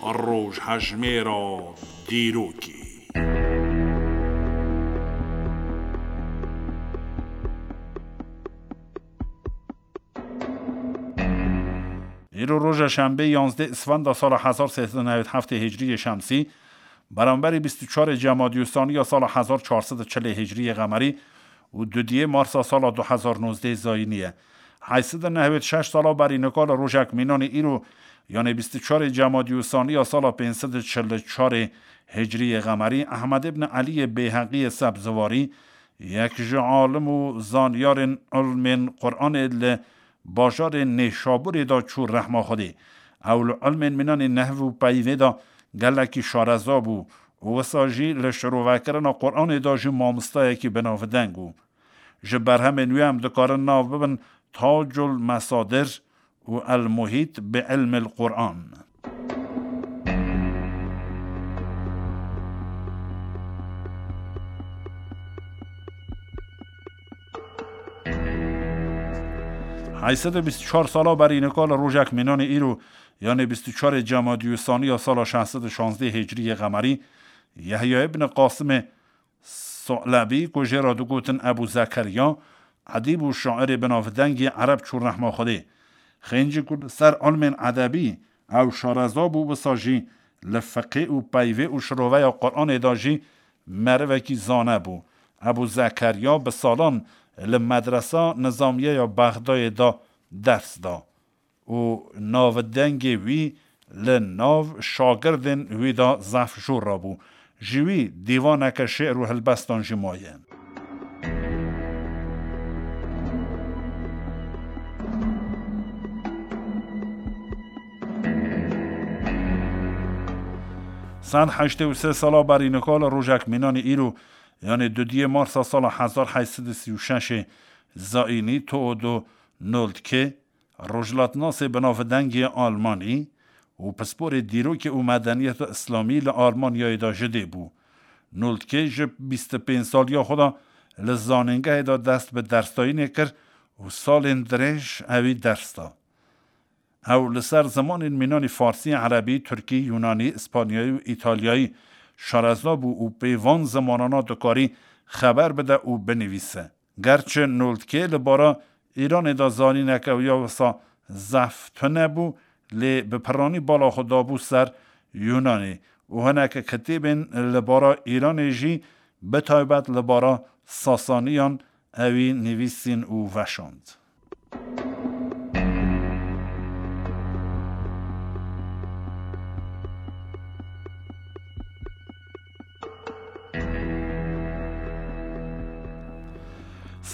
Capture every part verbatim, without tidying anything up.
Rojhejmêra dîrokê. Îro roja şembê, yanzdeh Isfenda sala hezar sê sed û newed heftê Hicriyê Şemsî, beramberî bîst û çarê Cemadî Usaniya sala hezar çar sed û çilê Hicriyê Qemerî û dudiyê Marsa sala du hezar nozdeh Zayînî ye. Heyt sed û newed şeş sala berî nika li rojek mînanê îro, yanê bîst û çarê Cemadî Usaniya sala pênc sed û çil û çarê Hicriyê Qemerî, Ehmed ibn Eliyê Beyheqiyê Sebziwarî, yek ji alim û zanyarên ilmên Quranê li bajarê Nêşabûrê de çû rehma Xwedê. Ew li ilmên mînanê nehv û peyvê de gelekî şareza bû û wisa jî li şirovekirina Quranê de jî mamostayekî binavdeng bû. Ji berhemên wî em dikarin nav bibin Tacul Mesadir û El Muhît bi Ilmil Quran. Heyt sed û bîst û çar sala berî nika li rojek mînanê îro, yanê bîst û çarê Cemadî Usaniya sala şeş sed û şazdeh Hicriyê Qemerî, Yehya ibn Qasimê Su'lebî, ku jê re digotin Ebû Zekeriya, edîb û şairê binavdengî ereb çû rehma Xwedê. Xêncî ku li ser ilmên edebî ew şareza bû, wisa jî li fiqê û peyvê û şiroveya Quranê de jî merivekî zane bû. Ebû Zekeriya bi salan li medresa nizamiye ya Bexdayê de ders da û navdengê wî li nav şagirdên wî de zehf jor rabû. Ji wî dîvaneke şi'r û helbestan jî maye. Sed heştê û sê sala berî nika li rojek mînanê îro, yanê dudiyê Marsa sala hezar heyt sed û sî û şeşê Zayînî, Theodor Noltke, rojhilatnasê binavdengê Almanî û pisporê dîrokê û medeniyeta Îslamî li Almanyayê de ji dê bû. Noltke ji bîst û pênc saliya xwe de li zanîngehê de dest bi dersdayînê kir û salên dirêj ewî ders da. Ew li ser zimanên mînanî Farsî, Erebî, Tirkî, Yunanî, Îspanyayî û Îtalyayî şareza bû û pê van zimanana dikarî xeber bide û binivîse. Gerçi Noltkê li bara Îranê de zanîneke wî ya wisa zehf tune bû, lê bi piranî bala xwe dabû ser Yunanê û hineke kitêbên li bara Îranê jî, bi taybet li bara Sasaniyan, ewî nivîsîn û veşand.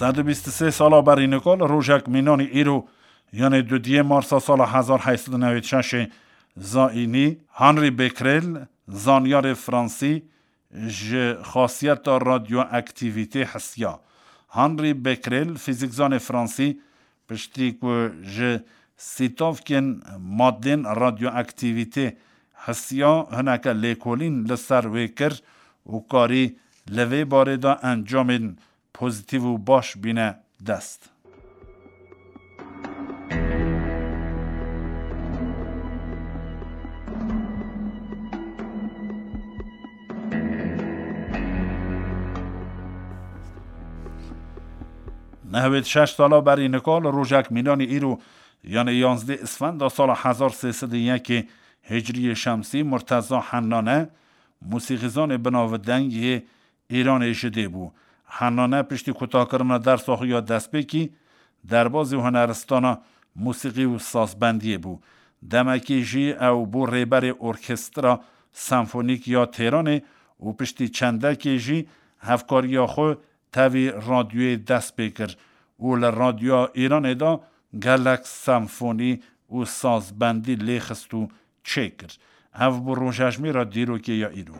Sed û bîst û sê sala berî nika li rojek mînanî îro, yanê dudiyê Marsa sala hezar heyt sed û newêd şeşê Zayînî, Henri Becquerel, zanyarê Fransî, ji xasiyeta radyoaktîvîtê hisiya. Henri Becquerel, fîzîkzanê Fransî, piştî ku ji sîtavkên madên radyoaktîvîtê hisiya, hineke lêkolîn li ser wê kir û karî li vê barê de encamên pozîtîv û baş bîne dest. Nehwêd şeş sala berî nika li rojek mînanî îro, yanê yanzdeh Isfenda sala hezar sê sed û yekê Hicriyê Şemsî, Murteza Hennane, musîqîzanê binavdeng yê Îranê ji dê bû. Hennane piştî kutakirina dersa xwe ya destpêkî, derbazî huneristana musîqî û sazbendiyê bû. Demekî jî ew bû rêberê Orkestra Senfonîk ya Têranê û piştî çendekê jî hevkariya xwe tevî radyoyê dest pê kir û li radyoya Îranê de gelek senfonî û sazbendî lêxist û çêkir. Ev bû rojejmêra dîrokê ya îro.